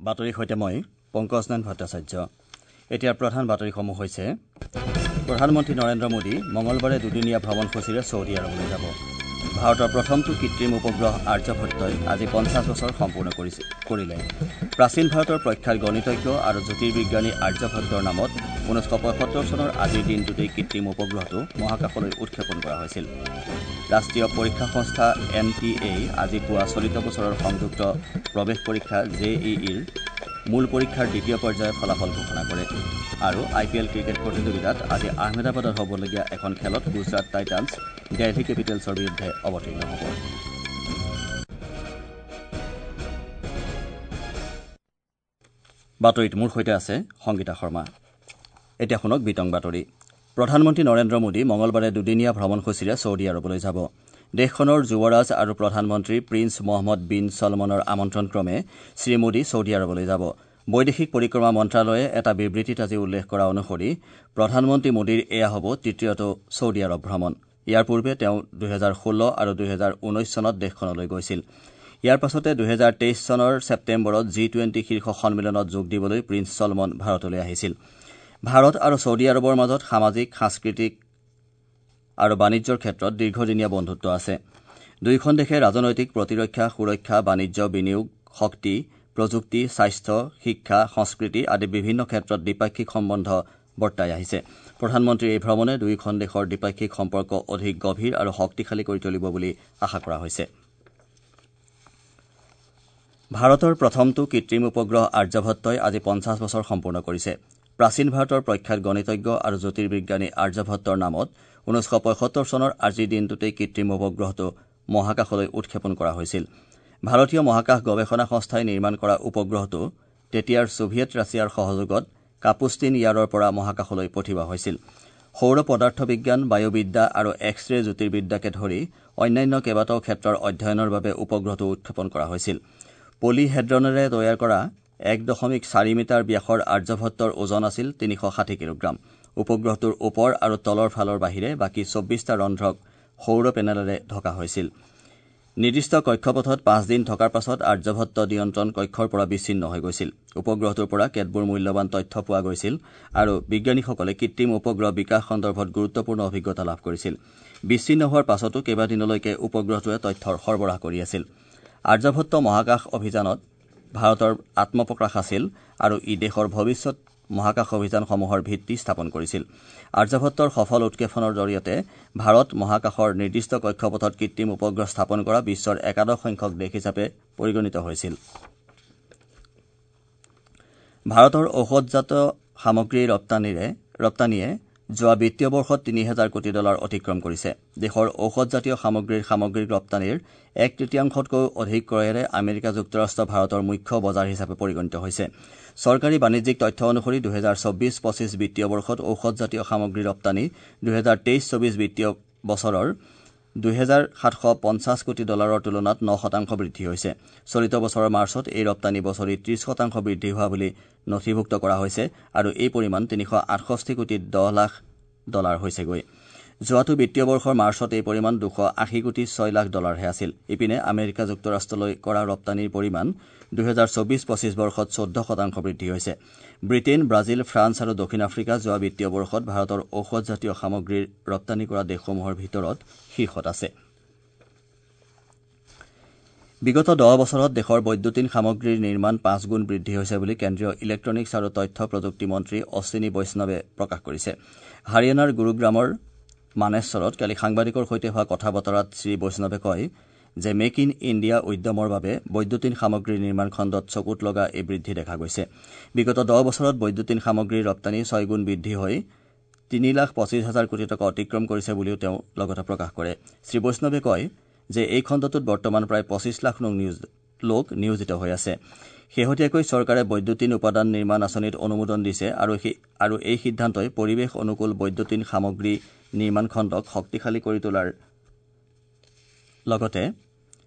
বাতৰিৰ সৈতে মই পংকজ নাৰায়ণ ভট্টাচাৰ্য। এতিয়াৰ প্ৰধান বাতৰিসমূহ হৈছে: প্ৰধানমন্ত্ৰী নৰেন্দ্ৰ মোদী মঙলবাৰে দুদিনীয়া ভ্ৰমণসূচীৰে ছৌদি আৰৱলৈ যাব। ভাৰতৰ প্ৰথমটো কৃত্ৰিম উপগ্ৰহ আৰ্যভট্টই আজি 50 বছৰ সম্পূৰ্ণ কৰিলে। প্ৰাচীন ভাৰতৰ প্ৰখ্যাত গণিতজ্ঞ আৰু জ্যোতিৰ্বিজ্ঞানী আৰ্যভট্টৰ নামত 1975 চনৰ আজিৰ দিনটোতেই কৃত্ৰিম উপগ্ৰহটো মহাকাশলৈ উৎক্ষেপণ কৰা হৈছিল। ৰাষ্ট্ৰীয় পৰীক্ষা সংস্থা এন টি এই আজি পুৱা চলিত বছৰৰ সংযুক্ত প্ৰৱেশ পৰীক্ষা জে ই ইৰ মূল পৰীক্ষাৰ দ্বিতীয় পৰ্যায়ৰ ফলাফল ঘোষণা কৰে। আৰু আই পি এল ক্ৰিকেট প্ৰতিযোগিতাত আজি আহমেদাবাদত হ'বলগীয়া এখন খেলত গুজৰাট টাইটানছ দেলহি কেপিটেলছৰ বিৰুদ্ধে অৱতীৰ্ণ হ'ব। বাতৰিত মোৰ সৈতে আছে সংগীতা শৰ্মা। এতিয়া শুনক বিতং বাতৰি। প্ৰধানমন্ত্ৰী নৰেন্দ্ৰ মোদী মঙলবাৰে দুদিনীয়া ভ্ৰমণসূচীৰে ছৌদি আৰৱলৈ যাব। দেশখনৰ যুৱৰাজ আৰু প্ৰধানমন্ত্ৰী প্ৰিন্স মহম্মদ বিন ছলমনৰ আমন্ত্ৰণক্ৰমে শ্ৰীমোদী ছৌদি আৰৱলৈ যাব। বৈদেশিক পৰিক্ৰমা মন্ত্ৰালয়ে এটা বিবৃতিত আজি উল্লেখ কৰা অনুসৰি প্ৰধানমন্ত্ৰী মোদীৰ এয়া হ'ব তৃতীয়টো ছৌদি আৰৱ ভ্ৰমণ। ইয়াৰ পূৰ্বে তেওঁ 2016 আৰু 2019 চনত দেশখনলৈ গৈছিল। ইয়াৰ পাছতে 2023 চনৰ ছেপ্টেম্বৰত জি-20 শীৰ্ষ সন্মিলনত যোগ দিবলৈ প্ৰিন্স ছলমন ভাৰতলৈ আহিছিল। ভাৰত আৰু ছৌদি আৰৱৰ মাজত সামাজিক, সাংস্কৃতিক আৰু বাণিজ্যৰ ক্ষেত্ৰত দীৰ্ঘদিনীয়া বন্ধুত্ব আছে। দুয়োখন দেশে ৰাজনৈতিক, প্ৰতিৰক্ষা, সুৰক্ষা, বাণিজ্য, বিনিয়োগ, শক্তি, প্ৰযুক্তি, স্বাস্থ্য, শিক্ষা, সংস্কৃতি আদি বিভিন্ন ক্ষেত্ৰত দ্বিপাক্ষিক সম্বন্ধ বৰ্তাই আহিছে। প্ৰধানমন্ত্ৰীৰ এই ভ্ৰমণে দুয়োখন দেশৰ দ্বিপাক্ষিক সম্পৰ্ক অধিক গভীৰ আৰু শক্তিশালী কৰি তুলিব বুলি আশা কৰা হৈছে। ভাৰতৰ প্ৰথমটো কৃত্ৰিম উপগ্ৰহ আৰ্যভট্টই আজি 50 বছৰ সম্পূৰ্ণ কৰিছে। প্ৰাচীন ভাৰতৰ প্ৰখ্যাত গণিতজ্ঞ আৰু জ্যোতিৰ্বিজ্ঞানী আৰ্যভট্টৰ নামত 1975 চনৰ আজিৰ দিনটোতেই কৃত্ৰিম উপগ্ৰহটো মহাকাশলৈ উৎক্ষেপণ কৰা হৈছিল। ভাৰতীয় মহাকাশ গৱেষণা সংস্থাই নিৰ্মাণ কৰা উপগ্ৰহটো তেতিয়াৰ ছোভিয়েট ৰাছিয়াৰ সহযোগত কাপুষ্টিন ইয়াৰৰ পৰা মহাকাশলৈ পঠিওৱা হৈছিল। সৌৰ পদাৰ্থ বিজ্ঞান, বায়ুবিদ্যা আৰু এক্স ৰে জ্যোতিৰ্বিদ্যাকে ধৰি অন্যান্য কেইবাটাও ক্ষেত্ৰৰ অধ্যয়নৰ বাবে উপগ্ৰহটো উৎক্ষেপণ কৰা হৈছিল। পলিহেড্ৰনেৰে তৈয়াৰ কৰা 1.4 মিটাৰ ব্যাসৰ আৰ্যভট্টৰ ওজন আছিল 360 কিলোগ্ৰাম। উপগ্ৰহটোৰ ওপৰ আৰু তলৰ ফালৰ বাহিৰে বাকী 24টা ৰন্ধ্ৰক সৌৰ পেনেলেৰে ঢকা হৈছিল। নিৰ্দিষ্ট কক্ষপথত 5 দিন থকাৰ পাছত আৰ্যভট্ট নিয়ন্ত্ৰণ কক্ষৰ পৰা বিচ্ছিন্ন হৈ গৈছিল। উপগ্ৰহটোৰ পৰা কেতবোৰ মূল্যৱান তথ্য পোৱা গৈছিল আৰু বিজ্ঞানীসকলে কৃত্ৰিম উপগ্ৰহ বিকাশ সন্দৰ্ভত গুৰুত্বপূৰ্ণ অভিজ্ঞতা লাভ কৰিছিল। বিচ্ছিন্ন হোৱাৰ পাছতো কেইবাদিনলৈকে উপগ্ৰহটোৱে তথ্যৰ সৰবৰাহ কৰি আছিল। আৰ্যভট্ট মহাকাশ অভিযানত ভাৰতৰ আত্মপ্ৰকাশ আছিল আৰু ই দেশৰ ভৱিষ্যত মহাকাশ অভিযানসমূহৰ ভিত্তি স্থাপন কৰিছিল। আৰ্যভট্টৰ সফল উৎক্ষেপণৰ জৰিয়তে ভাৰত মহাকাশৰ নিৰ্দিষ্ট কক্ষপথত কৃত্ৰিম উপগ্ৰহ স্থাপন কৰা বিশ্বৰ একাদশ সংখ্যক দেশ হিচাপে পৰিগণিত হৈছিল। ভাৰতৰ ঔষধজাত সামগ্ৰীৰ ৰপ্তানিয়ে যোৱা বিত্তীয় বৰ্ষত 3,000 কোটি ডলাৰ অতিক্ৰম কৰিছে। দেশৰ ঔষধজাতীয় সামগ্ৰীৰ সামগ্ৰিক ৰপ্তানিৰ এক তৃতীয়াংশতকৈও অধিক ক্ৰয়েৰে আমেৰিকা যুক্তৰাষ্ট্ৰ ভাৰতৰ মুখ্য বজাৰ হিচাপে পৰিগণিত হৈছে। চৰকাৰী বাণিজ্যিক তথ্য অনুসৰি 2024-25 বিত্তীয় বৰ্ষত ঔষধজাতীয় সামগ্ৰী ৰপ্তানি 2023-24 বিত্তীয় বছৰৰ 2,750 কোটি ডলাৰৰ তুলনাত 9% বৃদ্ধি হৈছে। চলিত বছৰৰ মাৰ্চত এই ৰপ্তানি বছৰি 30% বৃদ্ধি হোৱা বুলি নথিভুক্ত কৰা হৈছে আৰু এই পৰিমাণ 368 কোটি 10 লাখ ডলাৰ হৈছেগৈ। যোৱাটো বিত্তীয় বৰ্ষৰ মাৰ্চত এই পৰিমাণ 280 কোটি 6 লাখ ডলাৰহে আছিল। ইপিনে আমেৰিকা যুক্তৰাষ্ট্ৰলৈ কৰা ৰপ্তানিৰ পৰিমাণ 2024-25 বৰ্ষত 14% বৃদ্ধি হৈছে। ব্ৰিটেইন, ব্ৰাজিল, ফ্ৰান্স আৰু দক্ষিণ আফ্ৰিকা যোৱা বিত্তীয় বৰ্ষত ভাৰতৰ ঔষধজাতীয় সামগ্ৰীৰ ৰপ্তানি কৰা দেশসমূহৰ ভিতৰত শীৰ্ষত আছে। বিগত 10 বছৰত দেশৰ বৈদ্যুতিন সামগ্ৰীৰ নিৰ্মাণ 5 গুণ বৃদ্ধি হৈছে বুলি কেন্দ্ৰীয় ইলেক্ট্ৰনিক্স আৰু তথ্য প্ৰযুক্তি মন্ত্ৰী অশ্বিনী বৈষ্ণৱে প্ৰকাশ কৰিছে। হাৰিয়ানাৰ গুৰুগ্ৰামৰ মানেশ্বৰত কালি সাংবাদিকৰ সৈতে হোৱা কথা বতৰাত শ্ৰী বৈষ্ণৱে কয় যে মেক ইন ইণ্ডিয়া উদ্যমৰ বাবে বৈদ্যুতিন সামগ্ৰীৰ নিৰ্মাণ খণ্ডত চকুত লগা এই বৃদ্ধি দেখা গৈছে। বিগত 10 বছৰত বৈদ্যুতিন সামগ্ৰীৰ ৰপ্তানি 6 গুণ বৃদ্ধি হৈ 3,25,000 কোটি টকা অতিক্ৰম কৰিছে বুলিও তেওঁ লগতে প্ৰকাশ কৰে। শ্ৰী বৈষ্ণৱে কয় যে এই খণ্ডটোত বৰ্তমান প্ৰায় 25 লাখ লোক নিয়োজিত হৈ আছে। শেহতীয়াকৈ চৰকাৰে বৈদ্যুতিন উপাদান নিৰ্মাণ আঁচনিত অনুমোদন দিছে আৰু এই সিদ্ধান্তই পৰিৱেশ অনুকূল বৈদ্যুতিন সামগ্ৰী নিৰ্মাণ খণ্ডক শক্তিশালী কৰি তোলাৰ লগতে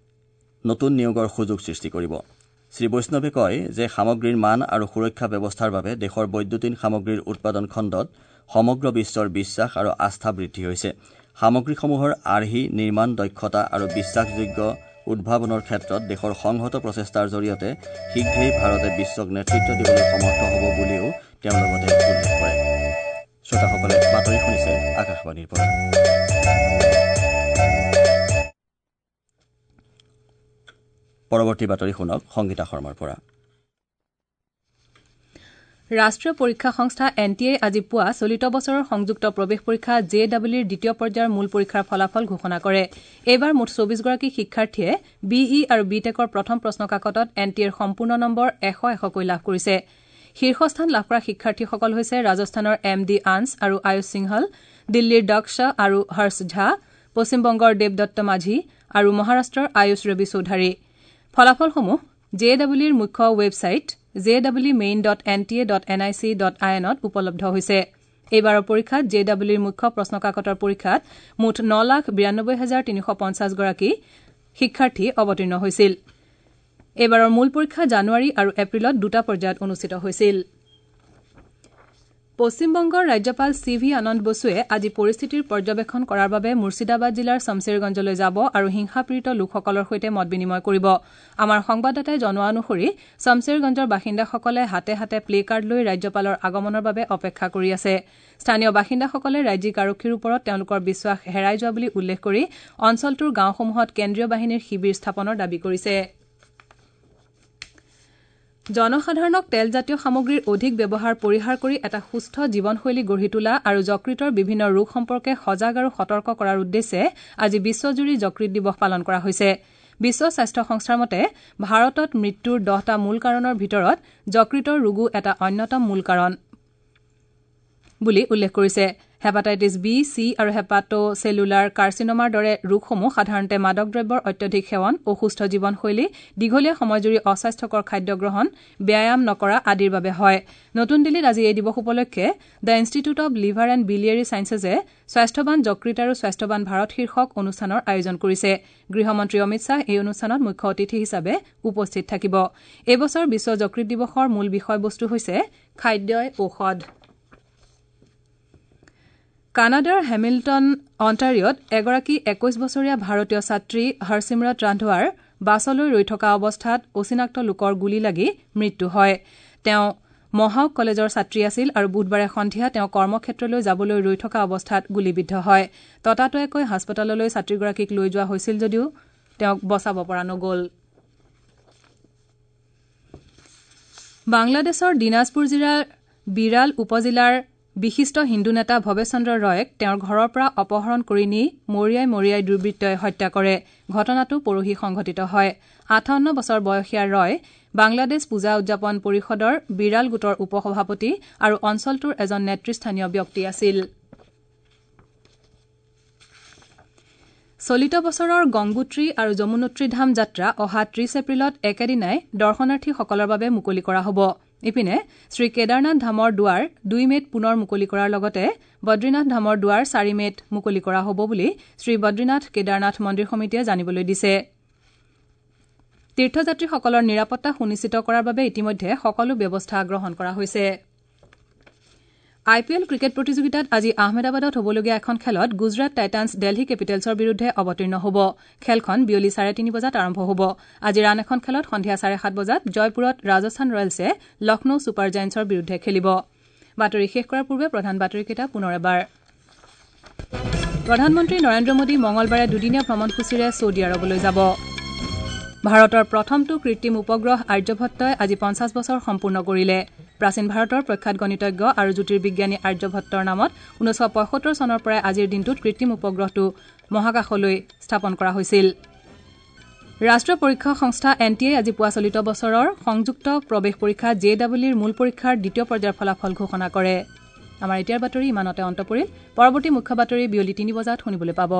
নতুন নিয়োগৰ সুযোগ সৃষ্টি কৰিব। শ্ৰী বৈষ্ণৱে কয় যে সামগ্ৰীৰ মান আৰু সুৰক্ষা ব্যৱস্থাৰ বাবে দেশৰ বৈদ্যুতিন সামগ্ৰীৰ উৎপাদন খণ্ডত সমগ্ৰ বিশ্বৰ বিশ্বাস আৰু আস্থা বৃদ্ধি হৈছে। সামগ্ৰীসমূহৰ আৰ্হি, নিৰ্মাণ দক্ষতা আৰু বিশ্বাসযোগ্য উদ্ভাৱনৰ ক্ষেত্ৰত দেশৰ সংহত প্ৰচেষ্টাৰ জৰিয়তে শীঘ্ৰেই ভাৰতে বিশ্বক নেতৃত্ব দিবলৈ সমৰ্থ হ'ব বুলিও তেওঁ লগতে উল্লেখ কৰে। শ্ৰোতাসকলে বাতৰি শুনিছে আকাশবাণীৰ পৰা। পৰৱৰ্তী বাতৰি শুনক সংগীতা শৰ্মাৰ পৰা। ৰাষ্ট্ৰীয় পৰীক্ষা সংস্থা এন টি এ আজি পুৱা চলিত বছৰৰ সংযুক্ত প্ৰৱেশ পৰীক্ষা জে ডাবল ইৰ দ্বিতীয় পৰ্যায়ৰ মূল পৰীক্ষাৰ ফলাফল ঘোষণা কৰে। এইবাৰ মুঠ ২৪গৰাকী শিক্ষাৰ্থীয়ে বি ই আৰু বি টেকৰ প্ৰথম প্ৰশ্নকাকতত এন টি এৰ সম্পূৰ্ণ নম্বৰ ১০০ লাভ কৰিছে। শীৰ্ষস্থান লাভ কৰা শিক্ষাৰ্থীসকল হৈছে ৰাজস্থানৰ এম ডি আন্স আৰু আয়ুষ সিংহল, দিল্লীৰ দক্ষ আৰু হৰ্ষ ঝা, পশ্চিমবংগৰ দেৱদত্ত মাঝি আৰু মহাৰাষ্ট্ৰৰ আয়ুষ ৰবি চৌধাৰী। ফলাফলসমূহ জে ডাবল ইৰ মুখ্য ৱেবছাইট jmeemain.nta.nic.in উপলব্ধ হৈছে। এইবাৰৰ পৰীক্ষাত জে ডাবল ইৰ মুখ্য প্ৰশ্নকাকতৰ পৰীক্ষাত মুঠ ৯,৯২,৩৫০ গৰাকী শিক্ষাৰ্থী অৱতীৰ্ণ হৈছিল। এইবাৰৰ মূল পৰীক্ষা জানুৱাৰী আৰু এপ্ৰিলত দুটা পৰ্যায়ত অনুষ্ঠিত হৈছিল। পশ্চিমবংগৰ ৰাজ্যপাল চি ভি আনন্দ বসুৱে আজি পৰিস্থিতিৰ পৰ্যবেক্ষণ কৰাৰ বাবে মুৰ্ছিদাবাদ জিলাৰ ছমছেৰগঞ্জলৈ যাব আৰু হিংসাপীড়িত লোকসকলৰ সৈতে মত বিনিময় কৰিব। আমাৰ সংবাদদাতাই জনোৱা অনুসৰি ছমছেৰগঞ্জৰ বাসিন্দাসকলে হাতে হাতে প্লে কাৰ্ড লৈ ৰাজ্যপালৰ আগমনৰ বাবে অপেক্ষা কৰি আছে। স্থানীয় বাসিন্দাসকলে ৰাজ্যিক আৰক্ষীৰ ওপৰত তেওঁলোকৰ বিশ্বাস হেৰাই যোৱা বুলি উল্লেখ কৰি অঞ্চলটোৰ গাঁওসমূহত কেন্দ্ৰীয় বাহিনীৰ শিবিৰ স্থাপনৰ দাবী কৰিছে। জনসাধাৰণক তেলজাতীয় সামগ্ৰীৰ অধিক ব্যৱহাৰ পৰিহাৰ কৰি এটা সুস্থ জীৱনশৈলী গঢ়ি তোলা আৰু যকৃতৰ বিভিন্ন ৰোগ সম্পৰ্কে সজাগ আৰু সতৰ্ক কৰাৰ উদ্দেশ্যে আজি বিশ্বজুৰি যকৃত দিৱস পালন কৰা হৈছে। বিশ্ব স্বাস্থ্য সংস্থাৰ মতে ভাৰতত মৃত্যুৰ ১০টা মূল কাৰণৰ ভিতৰত যকৃতৰ ৰোগো এটা অন্যতম মূল কাৰণ বুলি উল্লেখ কৰিছে। হেপাটাইটিছ বি, চি আৰু হেপাটোচেলুলাৰ কাৰ্চিনোমাৰ দৰে ৰোগসমূহ সাধাৰণতে মাদক দ্ৰব্যৰ অত্যধিক সেৱন, অসুস্থ জীৱনশৈলী, দীঘলীয়া সময়জুৰি অস্বাস্থ্যকৰ খাদ্য গ্ৰহণ, ব্যায়াম নকৰা আদিৰ বাবে হয়। নতুন দিল্লীত আজি এই দিৱস উপলক্ষে the institute of liver and biliary ছায়েন্সেছে স্বাস্থ্যৱান যকৃত আৰু স্বাস্থ্যৱান ভাৰত শীৰ্ষক অনুষ্ঠানৰ আয়োজন কৰিছে। গৃহমন্ত্ৰী অমিত শ্বাহ এই অনুষ্ঠানত মুখ্য অতিথি হিচাপে উপস্থিত থাকিব। এই বছৰ বিশ্ব যকৃত দিৱসৰ মূল বিষয়বস্তু হৈছে খাদ্যই ঔষধ। কানাডাৰ হেমিল্টন অণ্টাৰিঅ'ত এগৰাকী ২১ বছৰীয়া ভাৰতীয় ছাত্ৰী হৰচিমৰত ৰান্ধোৱাৰ বাছলৈ ৰৈ থকা অৱস্থাত অচিনাক্ত লোকৰ গুলী লাগি মৃত্যু হয়। তেওঁ মহাওক কলেজৰ ছাত্ৰী আছিল আৰু বুধবাৰে সন্ধিয়া তেওঁ কৰ্মক্ষেত্ৰলৈ যাবলৈ ৰৈ থকা অৱস্থাত গুলীবিদ্ধ হয়। ততাতৈয়াকৈ হাস্পতাললৈ ছাত্ৰীগৰাকীক লৈ যোৱা হৈছিল যদিও তেওঁক বচাব পৰা নগ'ল। বাংলাদেশৰ দিনাজপুৰ জিলাৰ বিৰাল উপজিলাৰ বিশিষ্ট হিন্দু নেতা ভৱেশ চন্দ্ৰ ৰয়ক তেওঁৰ ঘৰৰ পৰা অপহৰণ কৰি নি মৰিয়াই মৰিয়াই দুৰ্বৃত্তই হত্যা কৰে। ঘটনাটো পৰহি সংঘটিত হয়। ৫৮ বছৰ বয়সীয়া ৰয় বাংলাদেশ পূজা উদযাপন পৰিষদৰ বিৰাল গোটৰ উপসভাপতি আৰু অঞ্চলটোৰ এজন নেতৃস্থানীয় ব্যক্তি আছিল। চলিত বছৰৰ গংগোত্ৰী আৰু যমুনোত্ৰী ধাম যাত্ৰা অহা ৩০ এপ্ৰিলত একেদিনাই দৰ্শনাৰ্থীসকলৰ বাবে মুকলি কৰা হ'ব। ইপিনে শ্ৰীকেদাৰনাথ ধামৰ দুৱাৰ ২ মেত পুনৰ মুকলি কৰাৰ লগতে বদ্ৰীনাথ ধামৰ দুৱাৰ ৪ মেত মুকলি কৰা হ'ব বুলি শ্ৰীবদ্ৰীনাথ কেদাৰনাথ মন্দিৰ সমিতিয়ে জানিবলৈ দিছে। তীৰ্থযাত্ৰীসকলৰ নিৰাপত্তা সুনিশ্চিত কৰাৰ বাবে ইতিমধ্যে সকলো ব্যৱস্থা গ্ৰহণ কৰা হৈছে। আই পি এল ক্ৰিকেট প্ৰতিযোগিতাত আজি আহমেদাবাদত হ'বলগীয়া এখন খেলত গুজৰাট টাইটানছ দেলহি কেপিটেলছৰ বিৰুদ্ধে অৱতীৰ্ণ হ'ব। খেলখন বিয়লি ৩:৩০ বজাত আৰম্ভ হ'ব। আজিৰ আন এখন খেলত সন্ধিয়া ৭:৩০ বজাত জয়পুৰত ৰাজস্থান ৰয়েলছে লক্ষ্ণৌ ছুপাৰ জায়েণ্টছৰ বিৰুদ্ধে খেলিব। বাতৰি শেষ কৰাৰ পূৰ্বে প্ৰধান বাতৰিকেইটা পুনৰ এবাৰ। প্ৰধানমন্ত্ৰী নৰেন্দ্ৰ মোদী মঙলবাৰে দুদিনীয়া ভ্ৰমণসূচীৰে ছৌদি আৰৱলৈ যাব। ভাৰতৰ প্ৰথমটো কৃত্ৰিম উপগ্ৰহ আৰ্যভট্টই আজি ৫০ বছৰ সম্পূৰ্ণ কৰিলে। প্ৰাচীন ভাৰতৰ প্ৰখ্যাত গণিতজ্ঞ আৰু জ্যোতিৰ্বিজ্ঞানী আৰ্যভট্টৰ নামত ১৯৭৫ চনৰ পৰাই আজিৰ দিনটোত কৃত্ৰিম উপগ্ৰহটো মহাকাশলৈ স্থাপন কৰা হৈছিল। ৰাষ্ট্ৰীয় পৰীক্ষা সংস্থা এন টি এ আজি পুৱা চলিত বছৰৰ সংযুক্ত প্ৰৱেশ পৰীক্ষা জে ডাবল ইৰ মূল পৰীক্ষাৰ দ্বিতীয় পৰ্যায়ৰ ফলাফল ঘোষণা কৰে। আমাৰ এতিয়াৰ বাতৰি ইমানতে অন্ত পৰিল। পৰৱৰ্তী মুখ্য বাতৰি বিয়লি ৩ বজাত শুনিবলৈ পাব।